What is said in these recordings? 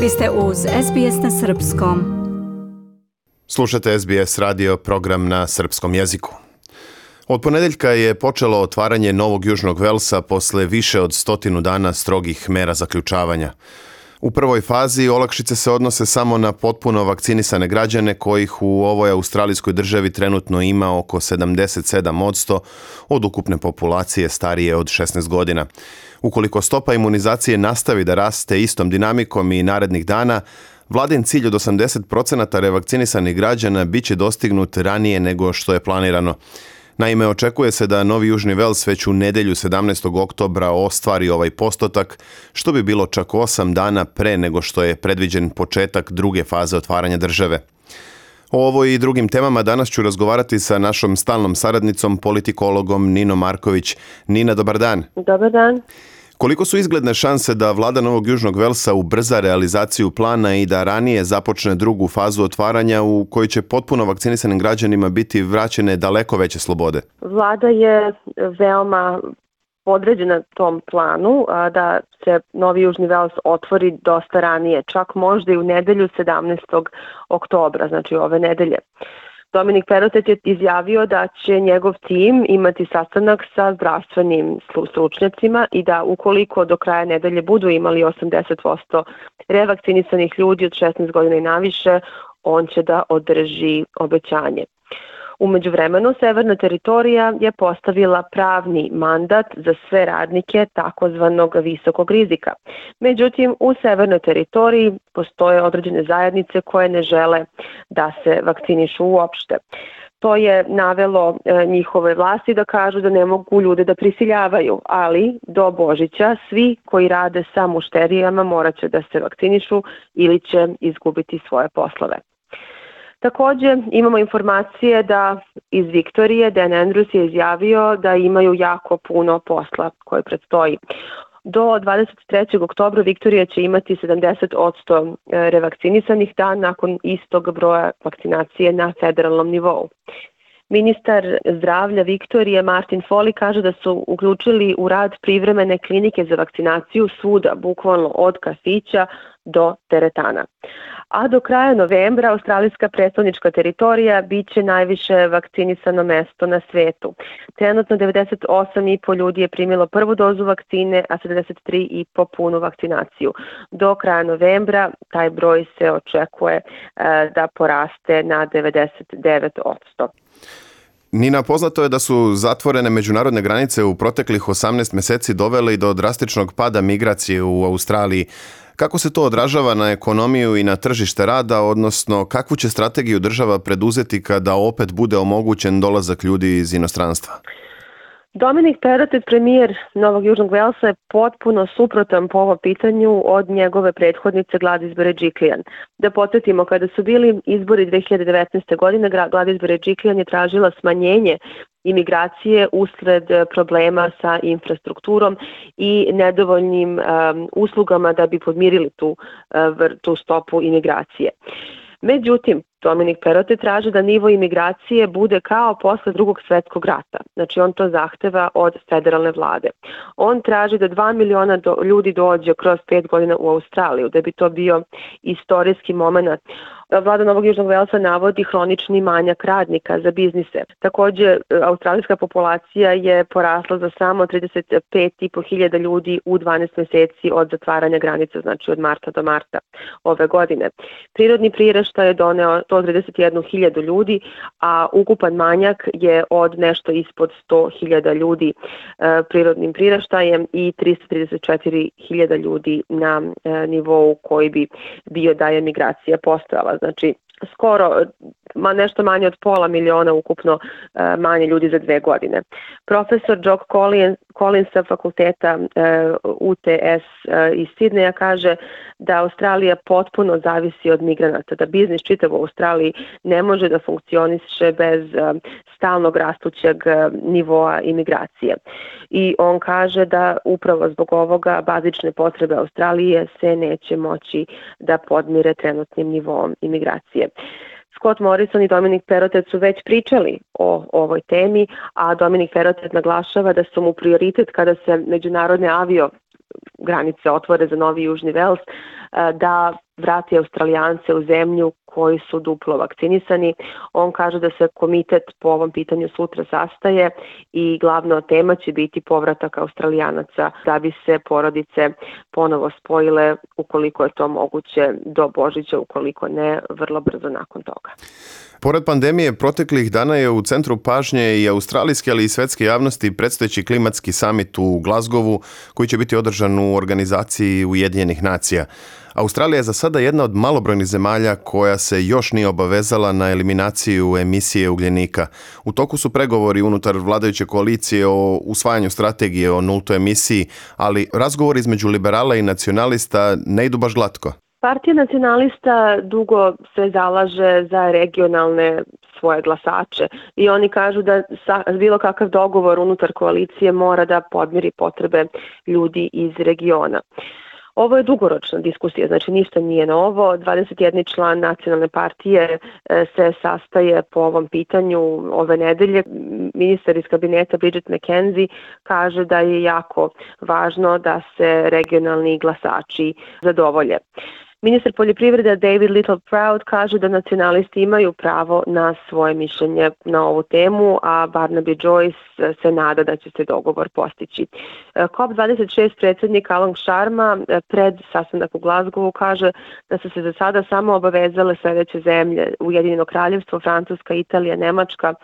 Vi ste uz SBS na Srpskom. Slušate SBS radio, program na srpskom jeziku. Od ponedeljka je počelo otvaranje Novog Južnog Velsa posle više od 100 dana strogih mera zaključavanja. U prvoj fazi olakšice se odnose samo na potpuno vakcinisane građane kojih u ovoj australijskoj državi trenutno ima oko 77% od ukupne populacije starije od 16 godina. Ukoliko stopa imunizacije nastavi da raste istom dinamikom i narednih dana, vladin cilj od 80% revakcinisanih građana bit će dostignut ranije nego što je planirano. Naime, očekuje se da Novi Južni Vels već u nedjelju 17. oktobra ostvari ovaj postotak, što bi bilo čak 8 dana pre nego što je predviđen početak druge faze otvaranja države. O ovoj i drugim temama danas ću razgovarati sa našom stalnom saradnicom, politikologom Ninom Marković. Nina, dobar dan. Dobar dan. Koliko su izgledne šanse da vlada Novog Južnog Velsa ubrza realizaciju plana i da ranije započne drugu fazu otvaranja u kojoj će potpuno vakcinisanim građanima biti vraćene daleko veće slobode? Vlada je veoma podređena tom planu da se Novi Južni Vels otvori dosta ranije, čak možda i u nedelju 17. oktobra, znači ove nedelje. Dominik Perrottet je izjavio da će njegov tim imati sastanak sa zdravstvenim stručnjacima i da ukoliko do kraja nedelje budu imali 80% revakcinisanih ljudi od 16 godina i naviše, on će da održi obećanje. U međuvremenu, Severna teritorija je postavila pravni mandat za sve radnike takozvanog visokog rizika. Međutim, u Severnoj teritoriji postoje određene zajednice koje ne žele da se vakcinišu uopšte. To je navelo njihove vlasti da kažu da ne mogu ljude da prisiljavaju, ali do Božića svi koji rade sa mušterijama morat će da se vakcinišu ili će izgubiti svoje poslove. Također imamo informacije da iz Viktorije Dan Andrews je izjavio da imaju jako puno posla koje predstoji. Do 23. oktobra Viktorija će imati 70% revakcinisanih dan nakon istog broja vakcinacije na federalnom nivou. Ministar zdravlja Viktorije Martin Foley kaže da su uključili u rad privremene klinike za vakcinaciju svuda, bukvalno od kafića do teretana. A do kraja novembra australijska predstavnička teritorija bit će najviše vakcinisano mesto na svetu. Trenutno 98,5 ljudi je primilo prvu dozu vakcine, a 73,5 punu vakcinaciju. Do kraja novembra taj broj se očekuje da poraste na 99%. Nina, poznato je da su zatvorene međunarodne granice u proteklih 18 mjeseci doveli do drastičnog pada migracije u Australiji. Kako se to odražava na ekonomiju i na tržište rada, odnosno kakvu će strategiju država preduzeti kada opet bude omogućen dolazak ljudi iz inostranstva? Dominik Perrottet, premijer Novog Južnog Velsa, je potpuno suprotan po ovom pitanju od njegove prethodnice Gladys Berejiklian. Da podsjetimo, kada su bili izbori 2019. godine, Gladys Berejiklian je tražila smanjenje imigracije usred problema sa infrastrukturom i nedovoljnim uslugama da bi podmirili tu stopu imigracije. Međutim, Dominik Perrottet traži da nivo imigracije bude kao posle Drugog svjetskog rata. Znači on to zahteva od federalne vlade. On traži da 2 miliona ljudi dođe kroz 5 godina u Australiju, da bi to bio istorijski moment. Vlada Novog Južnog Velsa navodi hronični manjak radnika za biznise. Također, australijska populacija je porasla za samo 35.500 ljudi u 12 mjeseci od zatvaranja granica, znači od marta do marta ove godine. Prirodni priraštaj je doneo 131.000 ljudi, a ukupan manjak je od nešto ispod 100.000 ljudi prirodnim priraštajem i 334.000 ljudi na nivou koji bi bio da je migracija postojala. Znači, skoro nešto manje od 500.000 ukupno manje ljudi za 2 godine. Profesor Jock Collins sa fakulteta UTS iz Sidneja kaže da Australija potpuno zavisi od migranata, da biznis čitav u Australiji ne može da funkcioniše bez stalnog rastućeg nivoa imigracije. I on kaže da upravo zbog ovoga bazične potrebe Australije se neće moći da podmire trenutnim nivoom imigracije. Scott Morrison i Dominik Perrottet su već pričali o ovoj temi, a Dominik Perrottet naglašava da su mu prioritet kada se međunarodne avio granice otvore za Novi Južni Vels, da vrati Australijance u zemlju koji su duplo vakcinisani. On kaže da se komitet po ovom pitanju sutra sastaje i glavna tema će biti povratak Australijanaca da bi se porodice ponovo spojile ukoliko je to moguće do Božića, ukoliko ne vrlo brzo nakon toga. Pored pandemije, proteklih dana je u centru pažnje i australijske, ali i svetske javnosti predstojeći klimatski samit u Glasgowu, koji će biti održan u organizaciji Ujedinjenih nacija. Australija je za sada jedna od malobrojnih zemalja koja se još nije obavezala na eliminaciju emisije ugljenika. U toku su pregovori unutar vladajuće koalicije o usvajanju strategije o nultoj emisiji, ali razgovori između liberala i nacionalista ne idu baš glatko. Partija nacionalista dugo se zalaže za regionalne svoje glasače i oni kažu da bilo kakav dogovor unutar koalicije mora da podmiri potrebe ljudi iz regiona. Ovo je dugoročna diskusija, znači ništa nije novo. 21 član nacionalne partije se sastaje po ovom pitanju ove nedelje. Ministar iz kabineta Bridget McKenzie kaže da je jako važno da se regionalni glasači zadovolje. Ministar poljoprivrede David Littleproud kaže da nacionalisti imaju pravo na svoje mišljenje na ovu temu, a Barnaby Joyce se nada da će se dogovor postići. COP26 predsjednik Alan Sharma pred sastanak u Glasgowu kaže da su se za sada samo obavezale sljedeće zemlje: Ujedinjeno kraljevstvo, Francuska, Italija, Nemačka,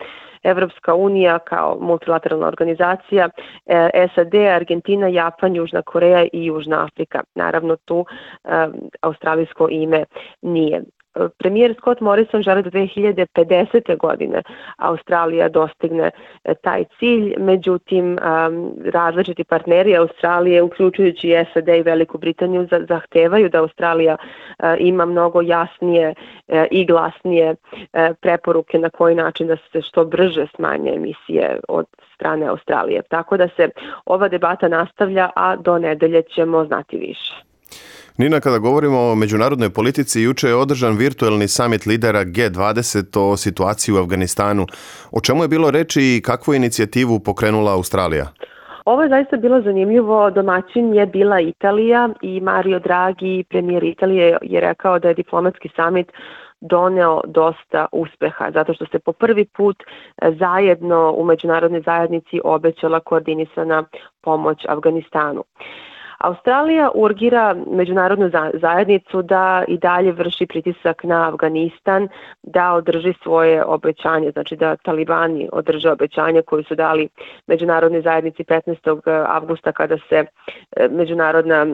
Evropska unija kao multilateralna organizacija, SAD, Argentina, Japan, Južna Koreja i Južna Afrika. Naravno tu australijsko ime nije. Premijer Scott Morrison želi do 2050. godine Australija dostigne taj cilj, međutim različiti partneri Australije, uključujući SAD i Veliku Britaniju, zahtevaju da Australija ima mnogo jasnije i glasnije preporuke na koji način da se što brže smanje emisije od strane Australije. Tako da se ova debata nastavlja, a do nedelje ćemo znati više. Nina, kada govorimo o međunarodnoj politici, juče je održan virtualni samit lidera G20 o situaciji u Afganistanu. O čemu je bilo reči i kakvu inicijativu pokrenula Australija? Ovo je zaista bilo zanimljivo. Domaćin je bila Italija i Mario Draghi, premijer Italije, je rekao da je diplomatski samit doneo dosta uspeha, zato što se po prvi put zajedno u međunarodnoj zajednici obećala koordinisana pomoć Afganistanu. Australija urgira međunarodnu zajednicu da i dalje vrši pritisak na Afganistan, da održi svoje obećanje, znači da talibani održe obećanje koje su dali međunarodnoj zajednici 15. avgusta kada se međunarodna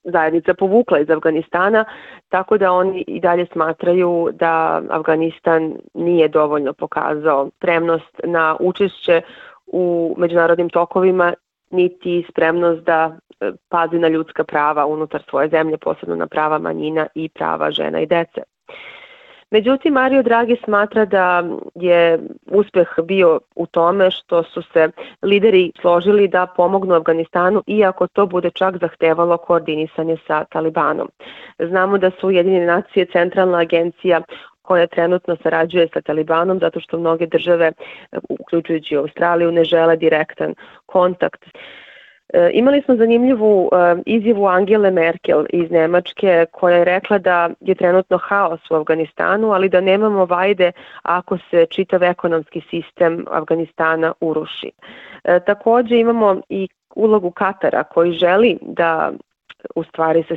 zajednica povukla iz Afganistana, tako da oni i dalje smatraju da Afganistan nije dovoljno pokazao spremnost na učešće u međunarodnim tokovima, niti spremnost da pazi na ljudska prava unutar svoje zemlje, posebno na prava manjina i prava žena i dece. Međutim, Mario Draghi smatra da je uspeh bio u tome što su se lideri složili da pomognu Afganistanu, iako to bude čak zahtevalo koordinisanje sa Talibanom. Znamo da su Ujedinjene nacije centralna agencija koja trenutno sarađuje sa Talibanom, zato što mnoge države, uključujući Australiju, ne žele direktan kontakt. Imali smo zanimljivu izjavu Angele Merkel iz Nemačke, koja je rekla da je trenutno haos u Afganistanu, ali da nemamo vajde ako se čitav ekonomski sistem Afganistana uruši. Također imamo i ulogu Katara, koji želi da u stvari se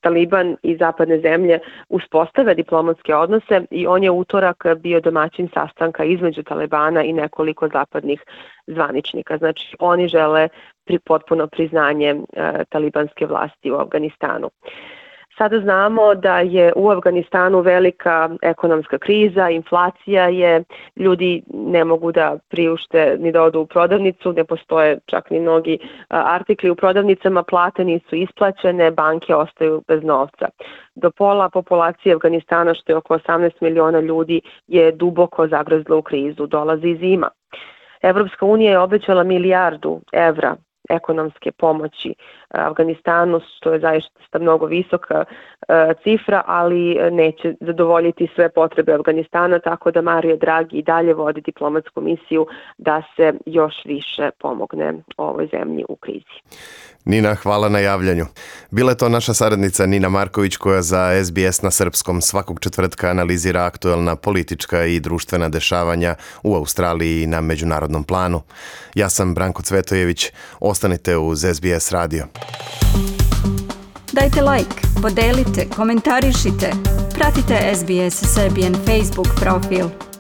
Taliban i zapadne zemlje uspostave diplomatske odnose i on je utorak bio domaćin sastanka između Talibana i nekoliko zapadnih zvaničnika. Znači oni žele potpuno priznanje talibanske vlasti u Afganistanu. Sada znamo da je u Afganistanu velika ekonomska kriza, inflacija je, ljudi ne mogu da priušte ni da odu u prodavnicu, ne postoje čak ni mnogi artikli u prodavnicama, plate nisu isplaćene, banke ostaju bez novca. Do pola populacije Afganistana, što je oko 18 miliona ljudi, je duboko zagrzlo u krizu, dolazi zima. Evropska unija je obećala $1 milijardu ekonomske pomoći Afganistanu, što je zaista mnogo visoka cifra, ali neće zadovoljiti sve potrebe Afganistana, tako da Mario Draghi i dalje vodi diplomatsku misiju da se još više pomogne ovoj zemlji u krizi. Nina, hvala na javljanju. Bila je to naša saradnica Nina Marković koja za SBS na srpskom svakog četvrtka analizira aktuelna politička i društvena dešavanja u Australiji i na međunarodnom planu. Ja sam Branko Cvetojević. Ostanite uz SBS radio. Dajte like, podelite, komentarišite. Pratite SBS Serbian Facebook profil.